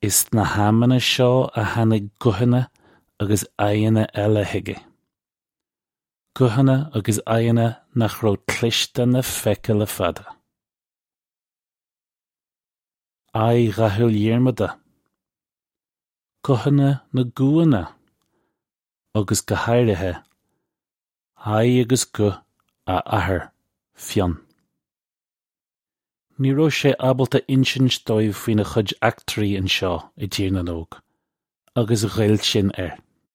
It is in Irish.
Is sna hamanna seo a tháinig guthanna agus aghaidheanna eile chuige. Guthanna agus aghaidheanna nach raibh cloiste ná feicthe le fada. Aghaidh dhathúil Dhiarmada. Guthanna na gcúanna. Agus go háirithe, aghaidh agus guth a athar, Fionn. Ní raibh sé ábalta insint dóibh faoina chuid eachtraí anseo i dTír na nÓg, agus ghoill sin air.